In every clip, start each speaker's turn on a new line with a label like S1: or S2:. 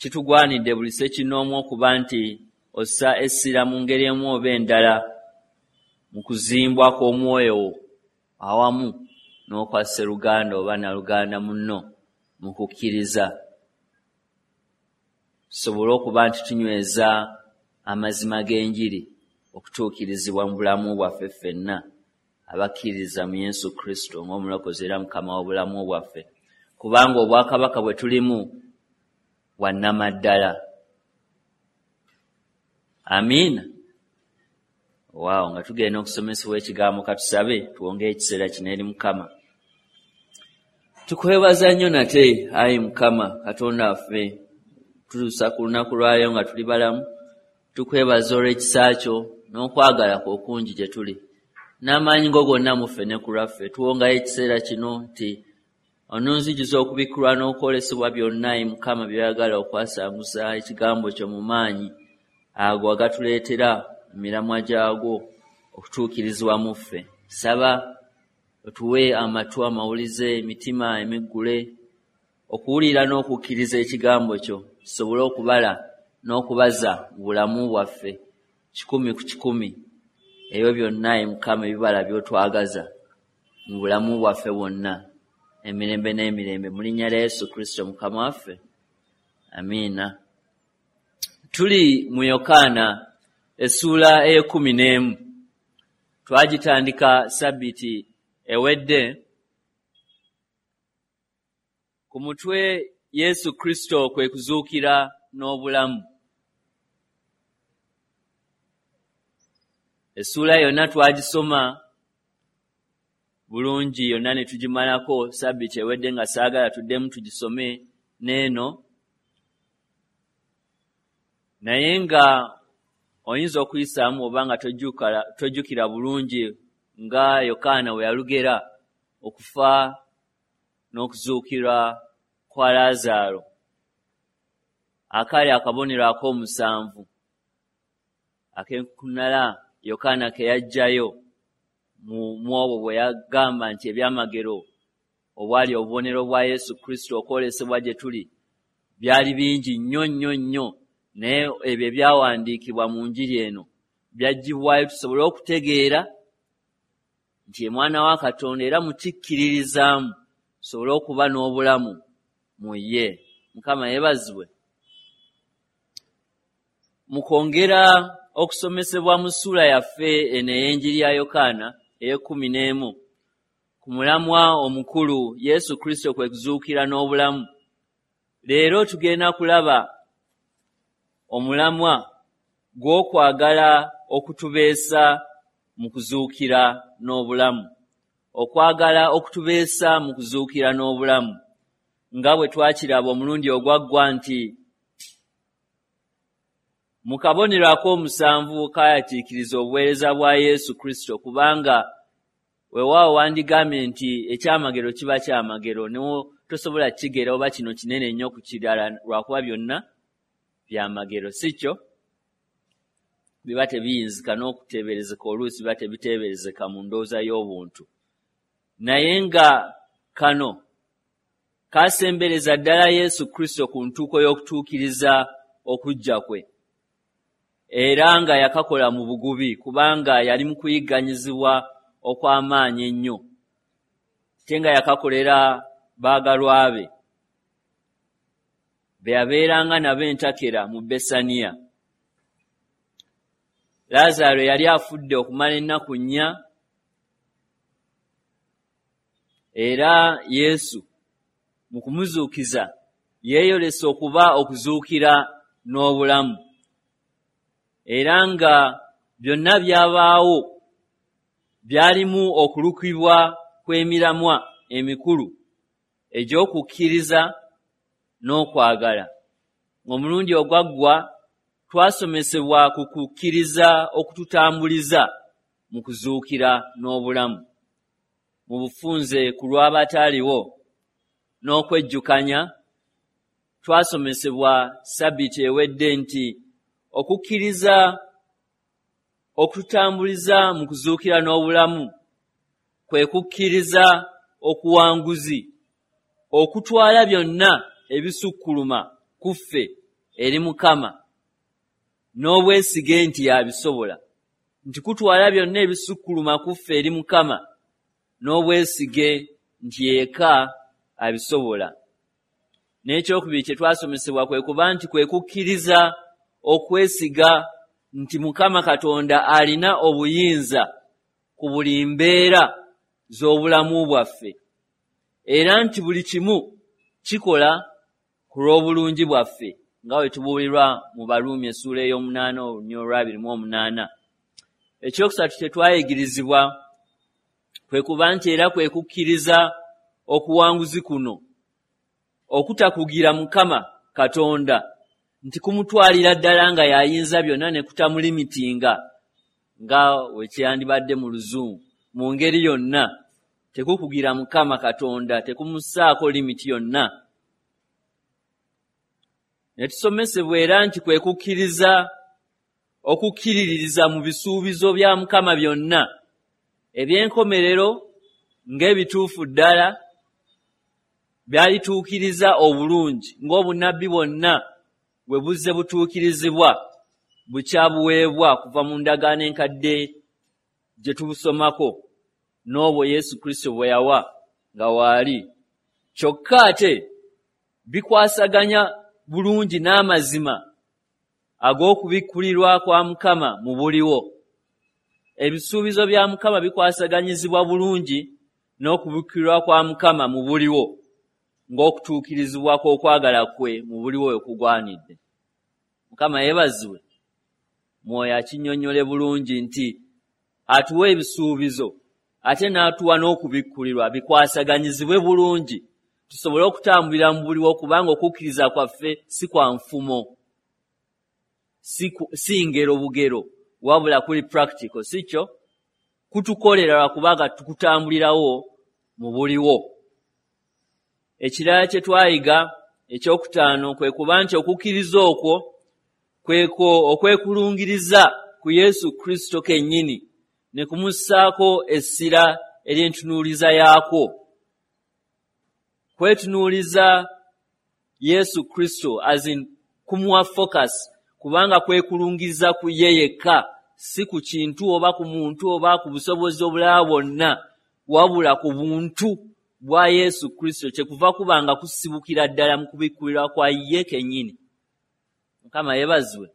S1: Kitugwanidde buli ssekinnoomu okuba nti ossa essira mu ngeri emu oba endala mu kuzimbwa kw'omwoyo wo awamu n'okwa sseruganda oba naluganda munno mu kukkiriza, tusobole okuba nti tunyweza amazima g'enjiri okutuukirizibwa mu bulamu bwaffe ffenna abakkiririza mu Yesu Kristo ng'omulokozi era Mukama w'obulamu bwaffe, kubanga obwakabaka bwe tulimu bwa nnamaddala. Amiina. Waawo, nga tugenda okusomesebwa ekigambo, katusabe tuwongeyo ekiseera kino eri Mukama. Tukwebaza nnyo nate, ayi Mukama Katonda waffe, tutuusa ku lunaku lwayo nga tuli balamu. Tukwebaza olw'ekisa kyo n'okwagala kwo okungi gye tuli, n'amaanyi go gonna mu ffe ne ku lwaffe. Tuwongayo ekiseera kino nti ononzijuza okubikkulwa n'okwolesebwa byonna, ayi Mukama, by'oyagala okwasanguza ekigambo kyo mu maanyi ago agatuleetera emiramwa gyagwo okutuukirizibwa mu ffe. Saba otuwe amatu amawulize, emitima emiggule okuwulira n'okukkiriza ekigambo kyo, tusobole okubala n'okubaza mu bulamu bwaffe 100 ku 100 ebyo byonna, ayi Mukama, ebibala by'otwagaza mu bulamu bwaffe bwonna emirembe n'emirembe, mu linnya lya Yesu Kristo Mukama waffe. Amiina. Tuli mu Yokaana essuula ey'e11. Twagitandika sabbiiti ewedde ku mutwe Yesu Kristo kwe kuzuukira n'obulamu. Essuula yonna twagisoma bulungi yonna ne tugimalako sabbiiti ewedde, nga saagala tuddemu tugisome n'eno, naye nga oyinza okuyisaamu oba nga tojjukira bulungi nga Yokaana bwe yalugera okufa n'okuzuukira kwa Laazaalo, akaali akabonero ak'omusanvu ak'enkukunala Yokaana ke yaggyayo mu obwo bwe yagamba nti ebyamagero obwali obubonero bwa Yesu Kristo okwolesebwa gye tuli byali bingi nnyo nnyo nnyo, naye ebyo ebyawandiikibwa mu njiri eno byaggyibwayo tusobole okutegeera nti ye mwana wa Katonda, era mukikkiririzaamu tusobole okuba n'obulamu mu ye. Mukama yeebazibwe. Mu kwongera okusomesebwa mu ssuula yaffe eno ey'enjiri ya Yokaana ey'e11 ku mulamwa omukulu Yesu Kristo kwe kuzuukira n'obulamu, leero tugenda kulaba omulamwa gw'okwagala okutubeesa mu kuzuukira n'obulamu. Okwagala okutubeesa mu kuzuukira n'obulamu, nga bwe twakiraba omulundi ogwaggwa nti mu kabonero ak'omusanvu kaayatiikiriza obuweereza bwa Yesu Kristo, kubanga weewaawo wandigambye nti ekyamagero kiba kyamagero, tosobola kukigera oba kino kinene nnyo ku kirala, lwakuba byonna byamagero, si kyo? Biba tebiyinzika n'okuteeberezeka, oluusi biba tebiteeberezeka mu ndowooza y'obuntu. Naye nga kano kasembereza ddala Yesu Kristo ku ntuuko y'okutuukiriza okujja kwe, era nga yakakola mu bugubi, kubanga yali mu kuyigganyizibwa okw'amaanyi ennyo, ate nga yakakolera baagalwa be be yabeeranga nabo entakera mu Besaniya. Laazaalo yali afudde okumala ennaku 4, era Yesu mu kumuzuukiza yeeyolesa okuba okuzuukira n'obulamu, era nga byonna byabaawo byalimu okulukibwa kw'emiramwa emikulu egy'okukkiriza n'okwagala. Omulundi ogwaggwa twasomesebwa ku kukkiriza okututambuliza mu kuzuukira n'obulamu, mu bufunze ku lw'abataaliwo n'okwejjukanya. Twasomesebwa sabbiiti ewedde nti okukkiriza okututambuliza mu kuzuukira n'obulamu kwe kukkiriza okuwanguzi okutwala byonna ebisukkuluma ku ffe eri Mukama n'obwesige nti yabisobola, nti kutwala byonna ebisukkuluma ku ffe eri Mukama n'obwesige nti yekka abisobola. N'ekyokubiri kye twasomesebwa kwe kuba nti kwe kukkiriza okwesiga nti Mukama Katonda alina obuyinza ku buli mbeera z'obulamu bwaffe, era nti buli kimu kikola ku lw'obulungi bwaffe, nga bwe tubuulirwa mu Baruumi essuula ey'omunaana olunyiriri olw'abiri mu omunaana. Ekyokusatu kye twayigirizibwa kwe kuba nti era kwe kukkiriza okuwanguzi kuno okutakugira Mukama Katonda nti kumutwalira ddala nga y'ayinza byonna ne kutamulimitinga nga we kyandibadde mu Luzungu mu ngeri yonna. Tekukugira Mukama Katonda, tekumussaako limiti yonna. Ne tusomesebwa era nti kwe kukkiriza okukkiririza mu bisuubizo bya Mukama byonna eby'enkomerero ng'ebituufu ddala byalituukiriza obulungi ng'obunnabbi bwonna bwe buzze butuukirizibwa bukyabuweebwa kuva mu ndagaano enkadde gye tubusomako n'obwo Yesu Kristo bwe yawa nga waali. Kyokka ate bikwasaganya bulungi n'amazima ag'okubikkulirwa kwa Mukama mu buliwo. Ebisuubizo bya Mukama bikwasaganyizibwa bulungi n'okubikkulirwa kwa Mukama mu buliwo, ng'okutuukirizibwa kw'okwagala kwe mu buliwo we kugwanidde. Mukama yeebazibwe. Mwoyo akinnyonnyole bulungi nti atuwa ebisuubizo ate n'atuwa n'okubikkulirwa bikwasaganyizibwe bulungi tusobole okutambulira mu buliwo, kubanga okukkiriza kwaffe si kwa nfumo, si ngero bugero, wabula kuli practical, si kyo? Kutukolera lwakubanga tukutambulirawo mu buliwo. Ekirala kye twayiga ekyokutaano kwe kuba nti okukkiriza okwo kwekwo okwekulungiriza ku Yesu Kristo kennyini ne kumussaako essira ery'entunuuliza yaakwo. Kwetunuuliza Yesu Kristo as in kumuwa focus, kubanga kwekulungiriza ku ye yekka, si ku kintu oba ku muntu oba ku busobozi obulala bwonna, wabula ku buntu bwa Yesu Kristo, kye kuva kubanga kusibukira ddala mu kubikkulirwa kwa ye kennyini. Mukama yeebazibwe.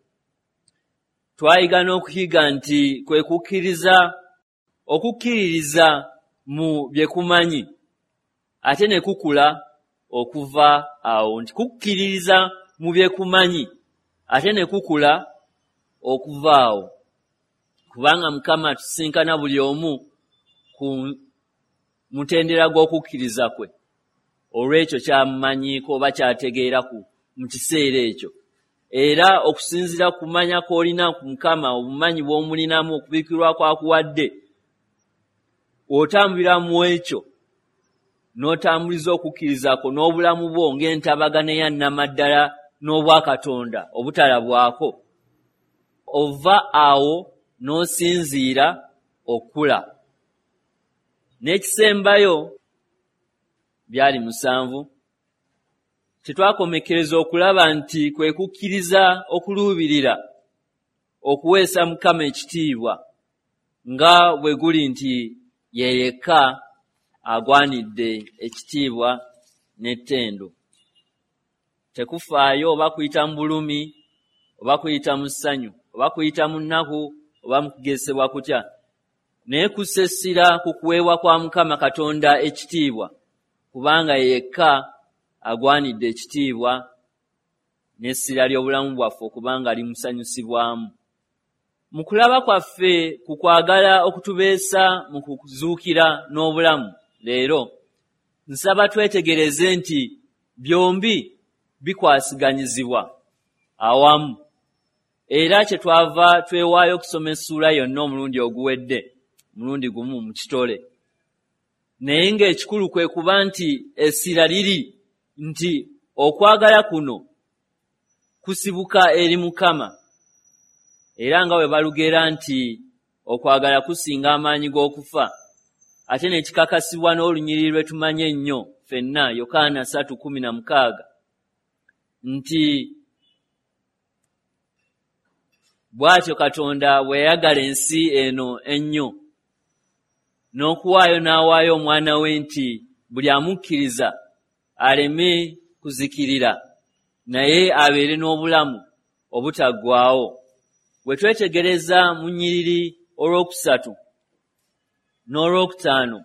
S1: Twayiga n'okuyiga nti kwe kukkiriza okukkiririza mu bye kumanyi ate ne kukula okuva awo, nti kukkiririza mu bye kumanyi ate ne kukula okuva awo, kubanga Mukama atusinkana buli omu ku mutendera gw'okukkiriza kwe olw'ekyo ky'amumanyiiko oba ky'ategeera mu kiseera ekyo. Era okusinziira ku kumanya kw'olina ku Mukama, obumanyi bw'omulinamu, okubikkulirwa kw'akuwadde, otambulira mu ekyo n'otambuliza okukkiriza kwo n'obulamu bwo ng'entabagana eya nnamaddala n'obwakatonda obutalabwako, ova awo n'osinziira okula. N'ekisembayo byali 7 tetwakomekkereza okulaba nti kwe kukkiriza okuluubirira okuweesa Mukama ekitiibwa nga bwe guli nti ye yekka agwanidde ekitiibwa n'ettendo. Tekufaayo oba kuyita mu bulumi oba kuyita mu ssanyu oba kuyita mu nnaku oba mu kugezesebwa kutya, naye kussa essira ku kuweebwa kwa Mukama Katonda ekitiibwa, kubanga ye yekka agwanidde ekitiibwa n'essira ly'obulamu bwaffe okubanga limusanyusibwamu. Mu kulaba kwaffe ku kwagala okutubeesa mu kuzuukira n'obulamu leero, nsaba twetegereze nti byombi bikwasiganyizibwa awamu, era kye twava twewaayo okusoma essuula yonna omulundi oguwedde, omulundi gumu mu kitole. Naye ng'ekikulu kwe kuba nti essira liri nti okwagala kuno kusibuka eri Mukama, era nga bwe balugera nti okwagala kusinga amaanyi g'okufa, ate ne kikakasibwa n'olunyiriri lwe tumanyi ennyo ffenna, Yokaana 3:16, nti Bw'atyo Katonda bwe yayagala ensi eno ennyo, n'okuwaayo n'awaayo omwana we nti buli amukkiriza aleme kuzikirira, naye abeere n'obulamu obutaggwaawo. Bwe twetegereza mu nnyiriri olwokusatu n'olwokutaano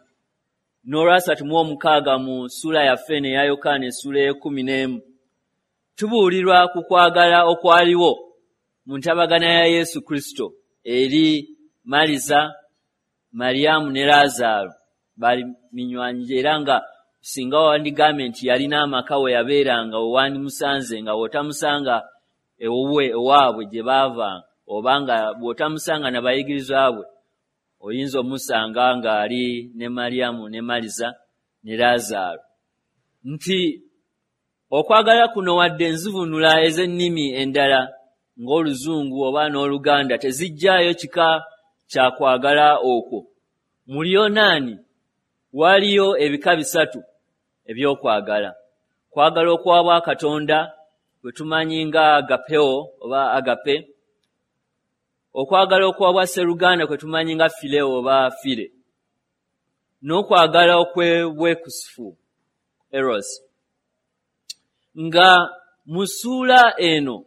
S1: n'olwasatu mu 6 mu ssuula yaffe eno eya Yokaana essuula ey'e11, tubuulirwa ku kwagala okwaliwo mu ntabagana ya Yesu Kristo eri Maliza, Mariyamu ne Laazaalo. Baali minywanyi, era nga singa wandigambye nti yalina amaka we yabeeranga, we wandimusanze, nga bw'otamusanga ewuwe ewaabwe gye baava, oba nga bw'otamusanga na bayigirizwa bwe, oyinza omusanga ng'ali ne Mariyamu ne Maliza ne Laazaalo. Nti okwagala kuno, wadde enzivuunula ez'ennimi endala ng'Oluzungu oba n'Oluganda tezijjaayo kika kya kwagala okwo, mu Luyonaani waliyo ebika bisatu eby'okwagala. Kwagala okwa bwakatonda bwe tumanyi nga agapeo oba agape, okwagala okwa bwasseruganda kwe tumanyi nga phileo oba phile, n'okwagala okw'obwekusifu, eros. Nga mu ssuula eno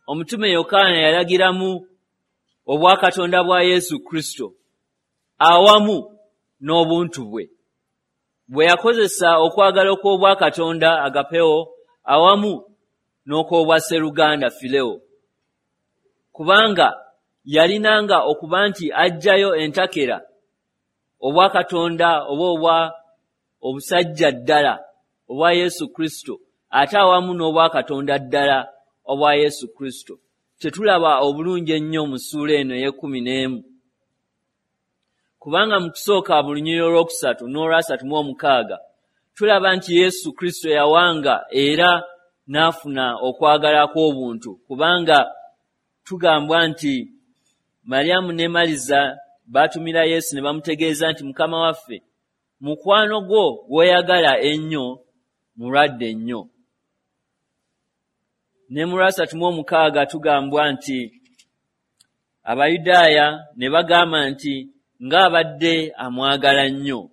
S1: omutume Yokaana yalagiramu obwakatonda bwa Yesu Kristo awamu n'obuntu bwe, bwe yakozesa okwagala okw'obwakatonda agapeo awamu n'okw'obwasseruganda phileo, kubanga yalinanga okuba nti aggyayo entakera obwakatonda oba obwa obusajja ddala obwa Yesu Kristo, ate awamu n'obwakatonda ddala obwa Yesu Kristo, kyetulaba obulungi ennyo mu ssuula eno ey'e11. Kubanga mu kusooka mu lunyiriri olwokusatu n'olwasatu mu 6 tulaba nti Yesu Kristo yawanga era n'afuna okwagala kw'obuntu, kubanga tugambwa nti Mariyamu ne Maliza baatumira Yesu ne bamutegeeza nti, "Mukama waffe, mukwano gwo gw'oyagala ennyo mulwadde nnyo." Ne mu 36 tugambwa nti Abayudaaya ne bagamba nti, "Ng'abadde amwagala nnyo."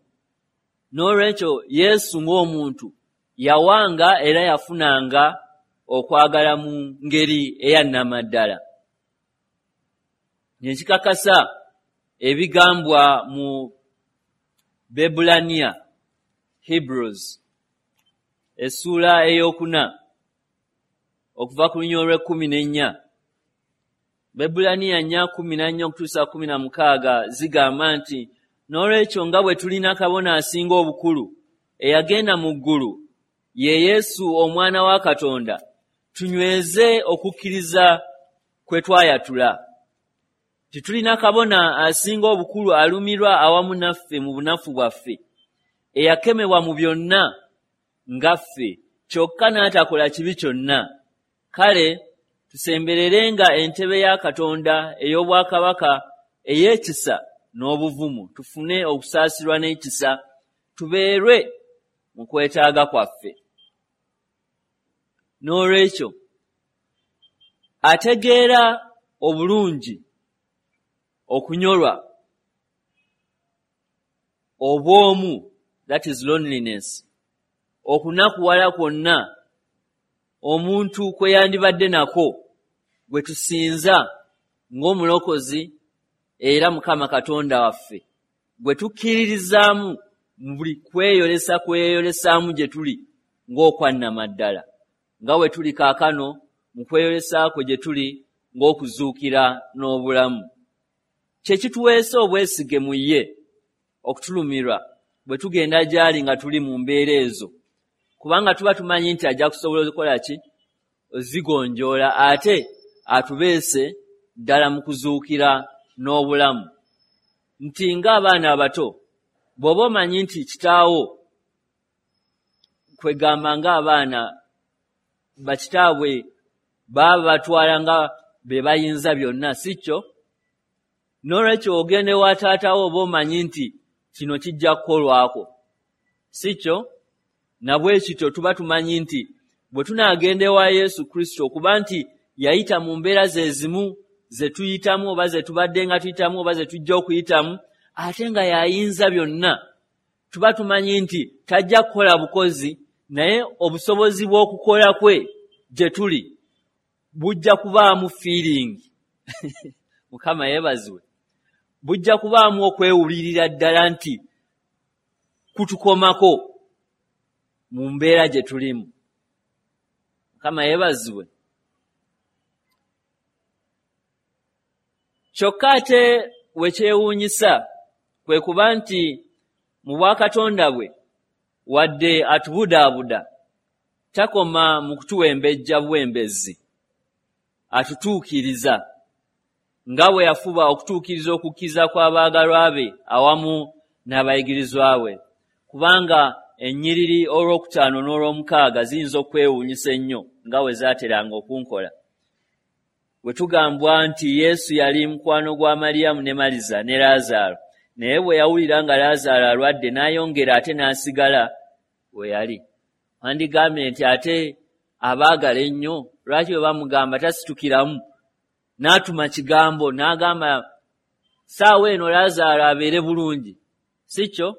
S1: N'olwekyo Yesu ng'omuntu yawanga era yafunanga okwagala mu ngeri eyannamaddala, nekikakasa ebigambwa mu Bebulaniya, Hebrews, essuula eyokuna okuva ku lunyiriri olw'e14. Bebulaniya 4:14 okutuusa 16 zigamba nti, "N'olwekyo nga bwe tulina kabona asinga obukulu eyagenda mu ggulu, ye Yesu omwana wa Katonda, tunyweze okukkiriza kwe twayatula. Titulina kabona asinga obukulu alumirwa awamu naffe mu bunafu bwaffe, eyakemebwa mu byonna nga ffe, kyokka n'atakola kibi kyonna. Kale tusembererenga entebe ya Katonda ey'obwakabaka ey'ekisa n'obuvumu, tufune okusaasirwa n'ekisa, tubeerwe mu kwetaaga kwaffe." N'olwekyo ategeera obulungi okunyolwa obw'omu, that is loneliness, okunakuwala kwonna omuntu kwe yandibadde nako, gwe tusinza ng'omulokozi era Mukama Katonda waffe, gwe tukkiririzaamu mu buli kweyolesa kweyolesaamu gye tuli ng'okwannamaddala, nga bwe tuli kaakano mu kweyolesa kwe gye tuli ng'okuzuukira n'obulamu. Kye kituweesa obwesige mu ye okutulumirwa bwe tugenda gy'ali nga tuli mu mbeera ezo, kubanga tuba tumanyi nti ajja kusobola okukola ki? Ozigonjoola, ate atubeese ddala mu kuzuukira n'obulamu. Nti ng'abaana abato, bw'oba omanyi nti kitaawo, kwegamba ng'abaana bakitaabwe baba batwala nga be bayinza byonna, si kyo? N'olwekyo ogenda ewa taatawo oba omanyi nti kino kijja kukolwako, si kyo? Nabwe kityo tuba tumanyi nti bwe tunaagenda ewa Yesu Kristo, okuba nti yayita mu mbeera ze zimu ze tuyitamu oba ze tubadde nga tuyitamu oba ze tujja okuyitamu, ate nga y'ayinza byonna, tuba tumanyi nti tajja kukola bukozi, naye obusobozi bw'okukola kwe gye tuli bujja kubaamu feeling. Mukama yeebazibwe. Bujja kubaamu okwewulirira ddala nti kutukomako mu mbeera gye tulimu. Mukama yeebazibwe. Kyokka ate we kyewuunyisa kwe kuba nti mu bwakatonda bwe wadde atubudaabuda takoma mu kutuwembejja buwembezzi, atutuukiriza nga bwe yafuba okutuukiriza okukkiriza kw'abaagalwa be awamu n'abayigirizwa be. Kubanga ennyiriri olwokutaano n'olwomukaaga ziyinza okwewuunyisa ennyo nga bwe zaateranga okunkola. Bwe tugambwa nti Yesu yali mukwano gwa Mariyamu ne Maliza ne Laazaalo, naye bwe yawulira nga Laazaalo alwadde n'ayongera ate n'asigala we yali. Wandigambye nti ate abaagala ennyo, lwaki bwe bamugamba tasitukiramu n'atuma kigambo n'agamba ssaawa eno Laazaalo abeere bulungi, si kyo?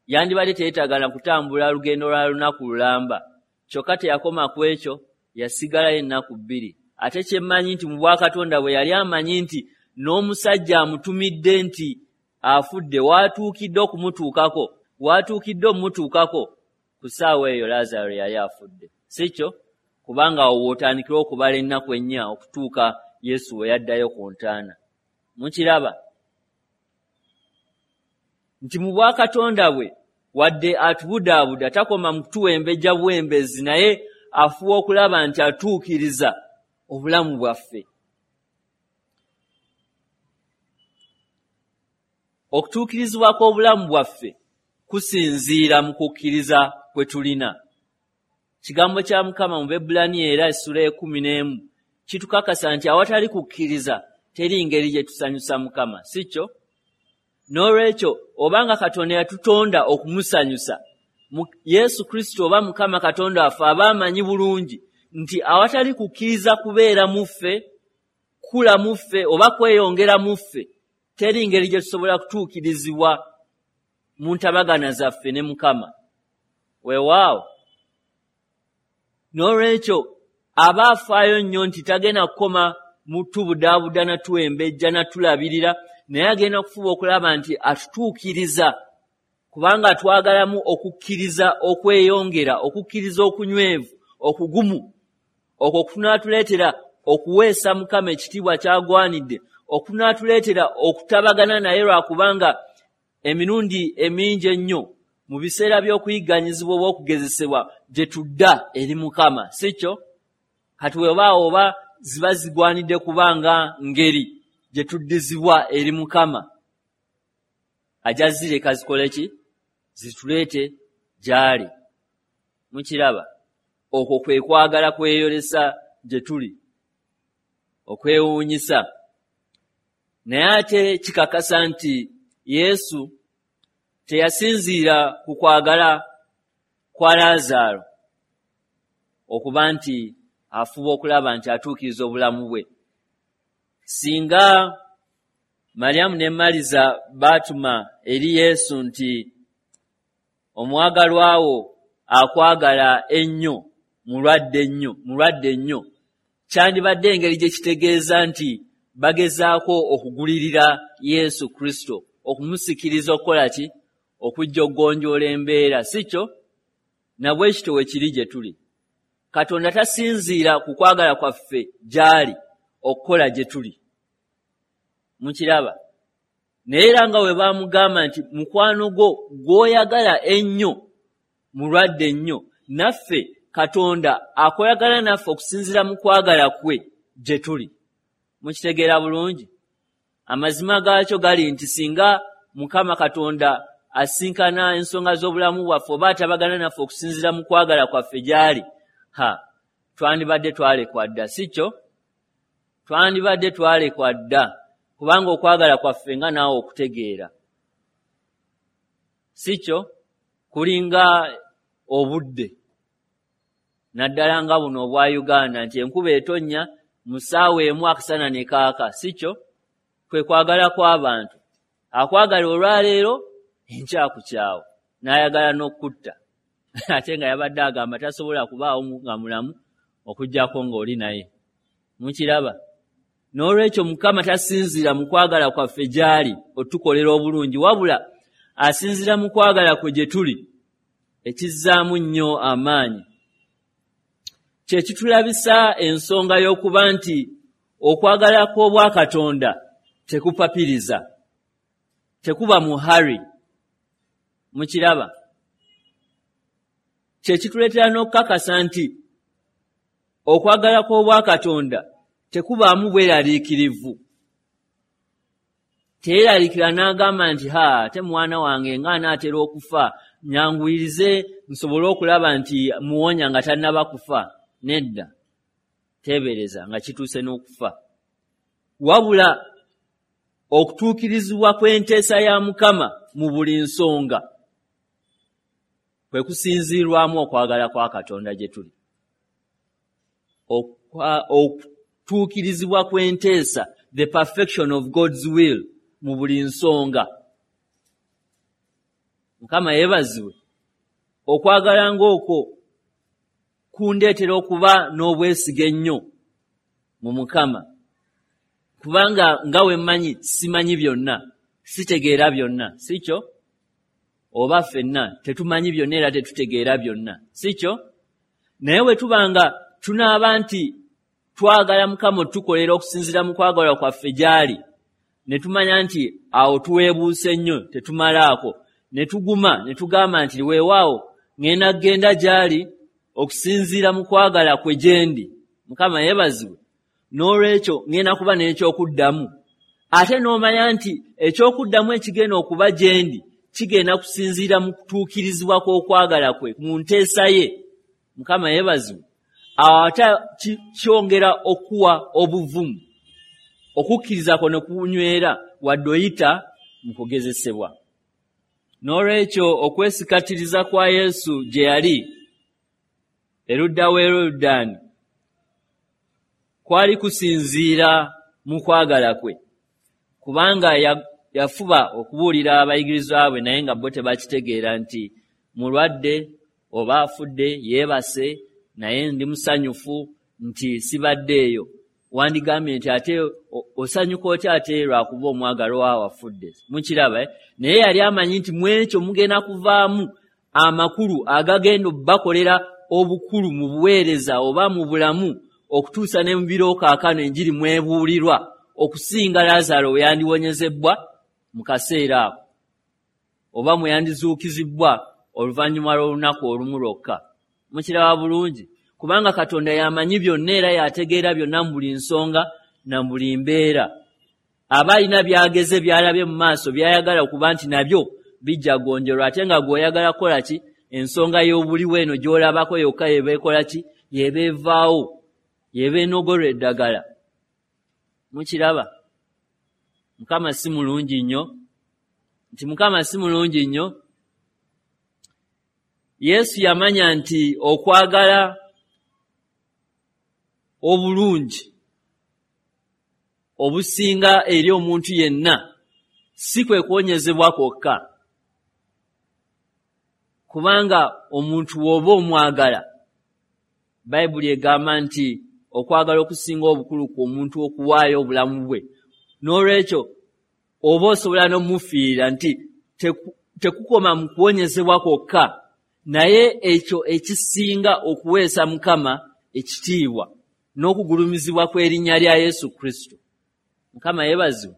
S1: Yandibadde teyeetagana kutambula lugendo lwa lunaku lulamba, kyokka teyakoma ku ekyo, yasigalayo ennaku bbiri. Ate kye mmanyi nti mu bwakatonda bwe yali amanyi nti n'omusajja amutumidde nti afudde waatuukidde okumutuukako, waatuukidde omumutuukako ku ssaawa eyo Laazaalo yali afudde, si kyo? Kubanga awo w'otandikira okubala ennaku ennya okutuuka Yesu we yaddayo ku ntaana. Mukiraba nti mu bwakatonda bwe wadde atubudaabuda takoma mu kutuwembejja buwembezi, naye afuba okulaba nti atuukiriza obulamu bwaffe. Okutuukirizibwa kw'obulamu bwaffe kusinziira mu kukkiriza kwe tulina. Kigambo kya Mukama mu Baebbulaniya era essula 11 kitukakasa nti awatali kukkiriza teri ngeri gye tusanyusa Mukama, si kyo? N'olwekyo obanga Katonda yatutonda okumusanyusa, Yesu Kristo oba Mukama Katonda waffe aba amanyi bulungi nti awatali kukkiriza kubeera mu ffe, kula mu ffe oba kweyongera mu ffe, teri ngeri gye tusobola kutuukirizibwa mu ntabagana zaffe ne Mukama. Weewaawo. N'olwekyo aba afaayo nnyo nti tagenda kukoma mu tubudaabuda na tuwembejja na tulabirira, naye agenda kufuba okulaba nti atutuukiriza, kubanga twagalamu okukkiriza okweyongera, okukkiriza okunywevu, okugumu, okwo kunaatuleetera okuweesa Mukama ekitiibwa ky'agwanidde, okunaatuleetera okutabagana naye, lwakubanga emirundi emingi ennyo mu biseera by'okuyigganyizibwa oba okugezesebwa gye tudda eri Mukama, si kyo? Kati weewaawo oba ziba zigwanidde kubanga ngeri gye tuddizibwa eri Mukama, ajja zireka zikole ki? Zituleete gy'ali. Mukiraba? Okwo kwe kwagala kweyolesa gye tuli, okwewuunyisa. Naye ate kikakasa nti Yesu teyasinziira ku kwagala kwa Laazaalo okuba nti afuba okulaba nti atuukiriza obulamu bwe. Singa Mariyamu ne Maliza baatuma eri Yesu nti omwagalwa wo akwagala ennyo, mulwadde nnyo, kyandibadde engeri gye kitegeeza nti bagezaako okugulirira Yesu Kristo, okumusikiriza okukola ki? Okujja okugonjoola embeera, si kyo? Na bwe kityo we kiri gye tuli. Katonda tasinziira ku kwagala kwaffe gy'ali okukola gye tuli. Mukiraba? Naye era nga bwe baamugamba nti mukwano gwo gw'oyagala ennyo mulwadde nnyo, naffe Katonda akolagana naffe okusinziira mu kwagala kwe gye tuli. Mukitegeera bulungi? Amazima gaakyo gali nti singa Mukama Katonda asinkana ensonga z'obulamu bwaffe oba atabagana naffe okusinziira mu kwagala kwaffe gy'ali, ha, twandibadde twalekwa dda, si kyo? Twandibadde twalekwa dda, kubanga okwagala kwaffe nga naawe okutegeera, si kyo? Kulinga obudde, naddala nga buno obwa Uganda nti enkuba etonnya Mu ssaawa emu akasana ne kaaka, si kyo? Kwe kwagala kw'abantu. Akwagala olwaleero, enkya akukyawa, n'ayagala n'okukutta. Ate nga yabadde agamba tasobola kubaawo nga mulamu okuggyako ng'oli naye. Mukiraba? N'olwekyo Mukama tasinziira mu kwagala kwaffe gy'ali otukolera obulungi, wabula asinziira mu kwagala kwe gye tuli, ekizzaamu nnyo amaanyi. Kye kitulabisa ensonga y'okuba nti okwagala kw'Obwakatonda tekupapiriza, tekuba mu hurry. Mukiraba? Kye kituleetera n'okukakasa nti okwagala kw'Obwakatonda tekubaamu bweraliikirivu. Teyeeraliikira n'agamba nti, ha, ate mwana wange nga anaatera okufa, nyanguyirize nsobole okulaba nti muwonya nga tannaba kufa. Nedda, teebereza nga kituuse n'okufa. Wabula okutuukirizibwa kw'enteesa ya Mukama mu buli nsonga kwe kusinziirwamu okwagala kwa Katonda gye tuli. Okutuukirizibwa kw'enteesa, the perfection of God's will mu buli nsonga. Mukama yeebazibwe. Okwagala ng'okwo kundeetera okuba n'obwesige ennyo mu Mukama, kubanga nga we mmanyi simanyi byonna, sitegeera byonna, si kyo? Oba ffenna tetumanyi byonna era tetutegeera byonna, si kyo? Naye bwe tuba nga tunaaba nti twagala Mukama otukolera okusinziira mu kwagala kwaffe gy'ali, ne tumanya nti awo tuweebuuse nnyo tetumalaako, ne tuguma ne tugamba nti weewaawo ŋŋenda kugenda gy'ali okusinziira mu kwagala kwe gye ndi. Mukama yeebazibwe. N'olwekyo ŋŋenda kuba n'ekyokuddamu. Ate n'omanya nti ekyokuddamu ekigenda okuba gye ndi kigenda kusinziira mu kutuukirizibwa kw'okwagala kwe mu nteesa ye. Mukama yeebazibwe. Awo ate kyongera okuwa obuvumu, okukkiriza kwo ne kunywera wadde oyita mu kugezesebwa. N'olwekyo okwesikatiriza kwa Yesu gye yali erudda w'e Yoludaani kwali kusinziira mu kwagala kwe, kubanga yafuba okubuulira abayigirizwa be naye nga bo tebakitegeera nti mulwadde oba afudde, yeebase, naye ndi musanyufu nti sibadde eyo. Wandigambye nti ate osanyuka otya ate lwakuba omwagalwa wo afudde? Mukiraba, eh? Naye yali amanyi nti mu ekyo mugenda kuvaamu amakulu agagenda obbakolera obukulu mu buweereza oba mu bulamu okutuusa ne mu biro kaakano enjiri mwebuulirwa okusinga Lazaalo we yandiwonyezebbwa mu kaseera ako oba mwe yandizuukizibbwa oluvannyuma lw'olunaku olumu lwokka. Mukiraba bulungi? Kubanga Katonda y'amanyi byonna era y'ategeera byonna mu buli nsonga na mu buli mbeera. Aba alina by'ageze by'alabye mu maaso by'ayagala okuba nti nabyo bijja gonjolwa, ate nga gw'oyagala kukola ki? Ensonga y'obuliwo eno gy'olabako yokka y'eba ekola ki? Y'eba evaawo, y'eba enogolwa eddagala. Mukiraba? Mukama si mulungi nnyo? Nti Mukama si mulungi nnyo? Yesu yamanya nti okwagala obulungi obusinga eri omuntu yenna si kwe kuwonyezebwa kwokka, kubanga omuntu w'oba omwagala, Bayibuli egamba nti okwagala okusinga obukulu ku omuntu okuwaayo obulamu bwe. N'olwekyo oba osobola n'omufiirira nti tekukoma mu kuwonyezebwa kwokka, naye ekyo ekisinga okuweesa Mukama ekitiibwa n'okugulumizibwa kw'erinnya lya Yesu Kristo. Mukama yeebazibwe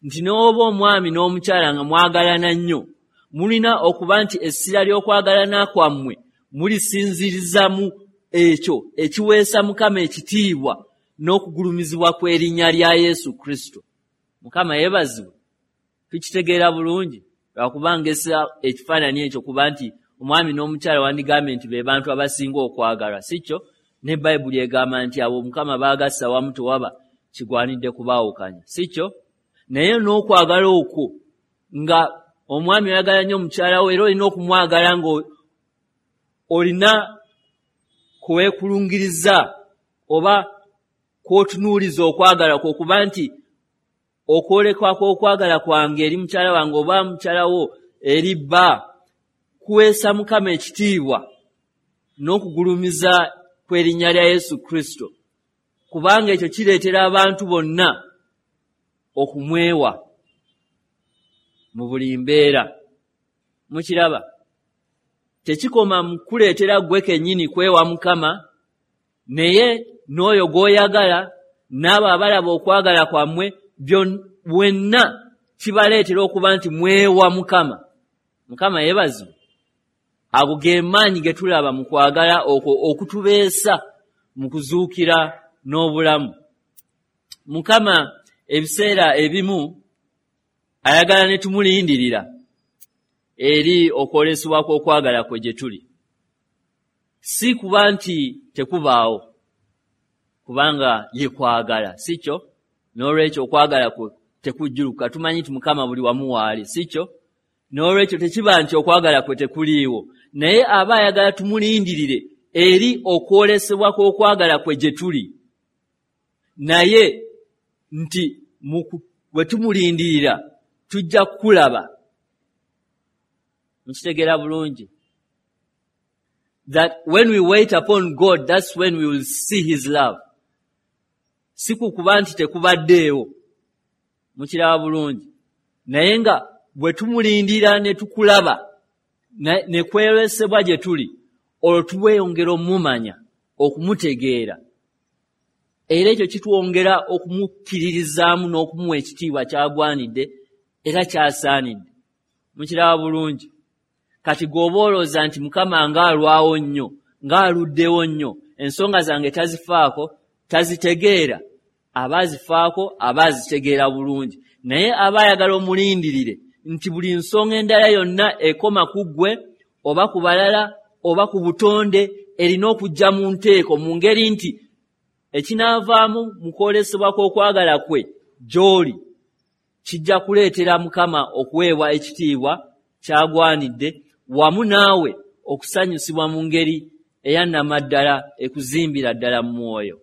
S1: nti n'oba omwami n'omukyala nga mwagalana nnyo, mulina okuba nti essira ly'okwagalana kwammwe mulisinziriza mu ekyo ekiweesa Mukama ekitiibwa n'okugulumizibwa kw'erinnya lya Yesu Kristo. Mukama yeebazibwe. Tukitegeera bulungi lwakuba ngesa ekifaananyi ekyo kuba nti omwami n'omukyala wandigambye nti be bantu abasinga okwagalwa, si kyo? Ne Bayibuli egamba nti abo Mukama baagassa wamu tewaba kigwanidde kubaawukanya, si kyo? Naye n'okwagala okwo nga omwami oyagala nnyo omukyala wo, era olina okumwagala nga olina kwekulungiriza oba kw'otunuuliza okwagala kwo, okuba nti okwolekwa kw'okwagala kwange eri mukyala wange oba mukyala wo eri bba kuweesa Mukama ekitiibwa n'okugulumiza kw'erinnya lya Yesu Kristo, kubanga ekyo kireetera abantu bonna okumwewa mu buli mbeera. Mukiraba, tekikoma mu kuleetera ggwe kennyini kwewa Mukama, naye n'oyo gw'oyagala n'abo abalaba okwagala kwammwe bwenna kibaleetera okuba nti mwewa Mukama. Mukama yeebazibwe. Ago ge maanyi ge tulaba mu kwagala okwo okutubeesa mu kuzuukira n'obulamu. Mukama ebiseera ebimu ayagala ne tumulindirira eri okwolesebwa kw'okwagala kwe gye tuli, si kuba nti tekubaawo, kubanga ye kwagala, si kyo? N'olwekyo okwagala kwe tekujjuluka. Tumanyi nti Mukama buli wamu waali, si kyo? N'olwekyo tekiba nti okwagala kwe tekuliiwo, naye aba ayagala tumulindirire eri okwolesebwa kw'okwagala kwe gye tuli, naye nti bwe tumulindirira tujja kukulaba. Mukitegeera bulungi? That when we wait upon God, that's when we will see his love. Si kukuba nti tekubaddeewo, mukiraba bulungi, naye nga bwe tumulindira ne tukulaba ne kwolesebwa gye tuli, olwo tweyongera omumanya, okumutegeera, era ekyo kitwongera okumukkiririzaamu n'okumuwa ekitiibwa ky'agwanidde era ky'asaanidde. Mukiraba bulungi? Kati gw'oba olowooza nti Mukama ng'alwawo nnyo, ng'aluddewo nnyo, ensonga zange tazifaako, tazitegeera, aba azifaako, aba azitegeera bulungi, naye aba ayagala omulindirire nti buli nsonga endala yonna ekoma ku ggwe oba ku balala oba ku butonde erina okujja mu nteeko, mu ngeri nti ekinaavaamu mu kwolesebwa kw'okwagala kwe gy'oli kijja kuleetera Mukama okuweebwa ekitiibwa ky'agwanidde, wamu naawe okusanyusibwa mu ngeri eya nnamaddala ekuzimbira ddala mu mwoyo.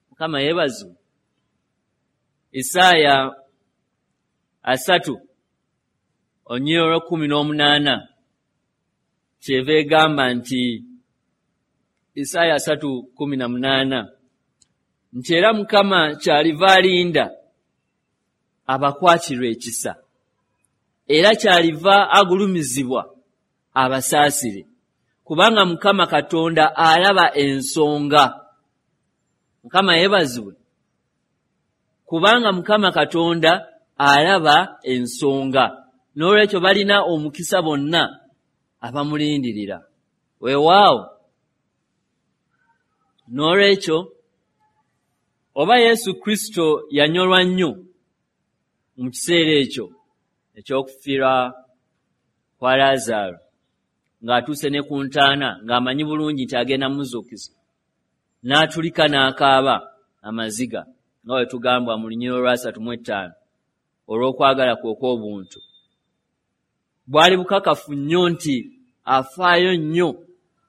S1: Mukama yeebazibwe. Isaaya 3 18 kyeva egamba nti, Isaaya 3:18 nti era Mukama kyaliva alinda abakwatirwa ekisa, era kyaliva agulumizibwa abasaasire, kubanga Mukama Katonda alaba ensonga. Mukama yeebazibwe. Kubanga Mukama Katonda alaba ensonga. N'olwekyo balina omukisa bonna abamulindirira. Weewaawo. N'olwekyo oba Yesu Kristo yanyolwa nnyo mu kiseera ekyo eky'okufiirwa kwa Laazaalo, ng'atuuse ne ku ntaana, ng'amanyi bulungi nti agenda muzuukiza, n'atulika n'akaaba amaziga, nga bwe tugambwa mu lunyiriri olwa 35, olw'okwagala kwe okw'obuntu. Bwali bukakafu nnyo nti afaayo nnyo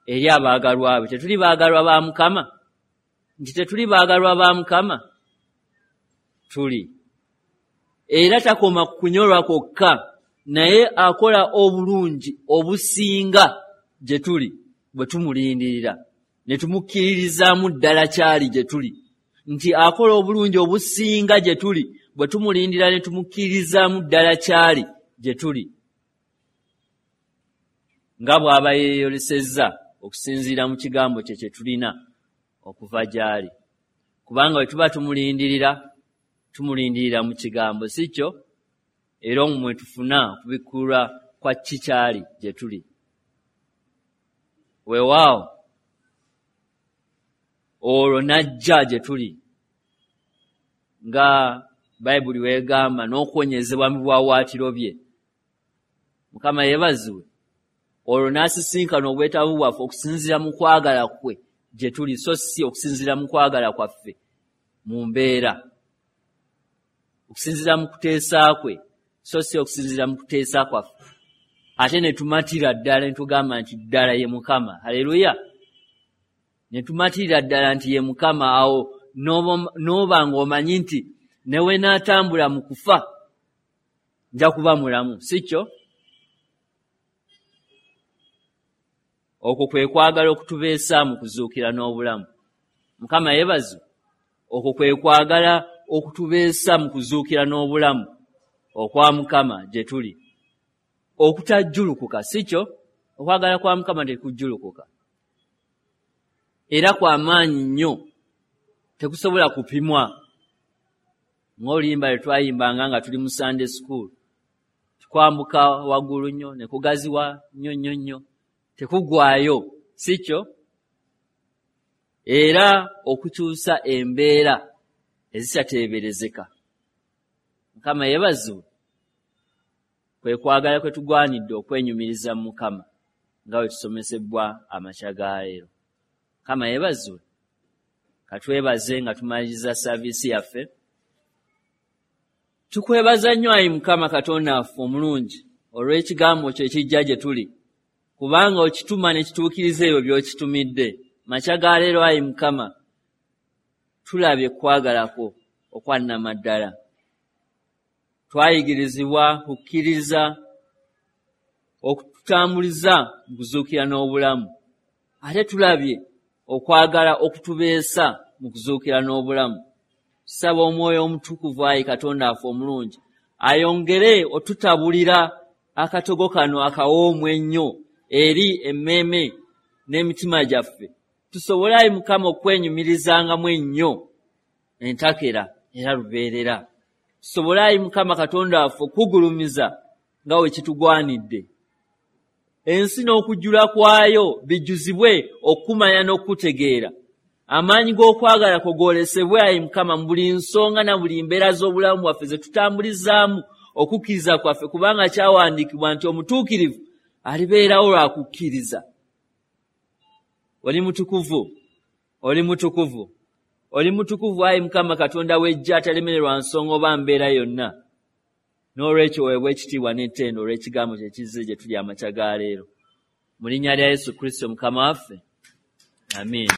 S1: eri abaagalwa be. Tetuli baagalwa ba Mukama? Nti tetuli baagalwa ba Mukama? Tuli. Era takoma ku kunyolwa kwokka, naye akola obulungi obusinga gye tuli bwe tumulindirira ne tumukkiririzaamu ddala kyali gye tuli, nti akola obulungi obusinga gye tuli bwe tumulindira ne tumukkiririzaamu ddala kyali gye tuli, nga bw'aba yeeyolesezza okusinziira mu kigambo kye kye tulina okuva gy'ali. Kubanga bwe tuba tumulindirira, tumulindirira mu kigambo, si kyo? Era omwo mwe tufuna okubikkulwa kwa ki kyali gye tuli. Weewaawo, olwo n'ajja gye tuli, nga Bayibuli weegamba, n'okuwonyezebwa mu biwaawaatiro bye. Mukama yeebazibwe. Olwo n'asisinkana obwetaavu bwaffe okusinziira mu kwagala kwe gye tuli, so si okusinziira mu kwagala kwaffe mu mbeera, okusinziira mu kuteesa kwe, so si okusinziira mu kuteesa kwaffe. Ate ne tumatira ddala ne tugamba nti ddala ye Mukama. Haleluya! Ne tumatirira ddala nti ye Mukama. Awo n'oba ng'omanyi nti ne we naatambula mu kufa nja kuba mulamu, si kyo? Okwo kwe kwagala okutubeesa mu kuzuukira n'obulamu. Mukama yeebazibwe. Okwo kwe kwagala okutubeesa mu kuzuukira n'obulamu okwa Mukama gye tuli, okutajjulukuka, si kyo? Okwagala kwa Mukama tekujjulukuka, era kwa maanyi nnyo, tekusobola kupimwa. Ng'oluyimba lwe twayimbanga nga tuli mu Sunday school, tukwambuka waggulu nnyo ne kugaziwa nnyo nnyo nnyo, tekuggwaayo, si kyo? Era okukyusa embeera ezitateeberezeka. Mukama yeebazibwe. Kwe kwagala kwe tugwanidde okwenyumiriza mu Mukama nga bwe tusomesebwa amakya ga leero. Mukama yeebazibwe. Katwebaze nga tumaliriza saaviisi yaffe. Tukwebaza nnyo ayi Mukama Katonda waffe omulungi olw'ekigambo kyo ekijja gye tuli, kubanga okituma ne kituukiriza ebyo by'okitumidde. Makya ga leero ayi Mukama tulabye kwagala kwo okwa nnamaddala. Twayigirizibwa kukkiriza okututambuliza mu kuzuukira n'obulamu, ate tulabye okwagala okutubeesa mu kuzuukira n'obulamu. Tusaba Omwoyo Omutukuvu ayi Katonda waffe omulungi ayongere otutabulira akatogo kano akawoomu ennyo eri emmeeme n'emitima gyaffe, tusobole ayi Mukama okwenyumirizangamu ennyo entakera era lubeerera. Tusobole ayi Mukama Katonda waffe okugulumiza nga we kitugwanidde. Ensi n'okujjula kwayo bijjuzibwe okumanya n'okutegeera. Amaanyi g'okwagala kwo goolesebwe ayi Mukama mu buli nsonga na buli mbeera z'obulamu bwaffe ze tutambulizaamu okukkiriza kwaffe, kubanga kyawandiikibwa nti omutuukirivu alibeerawo lwa kukkiriza. Oli mutukuvu, oli mutukuvu, oli mutukuvu ayi Mukama Katonda w'eggye atalemererwa nsonga oba mbeera yonna. N'olwekyo weebwa ekitiibwa n'ettendo olw'ekigambo kye kizze gye tuli amakya ga leero. Mu linnya lya Yesu Kristo Mukama waffe, amiina.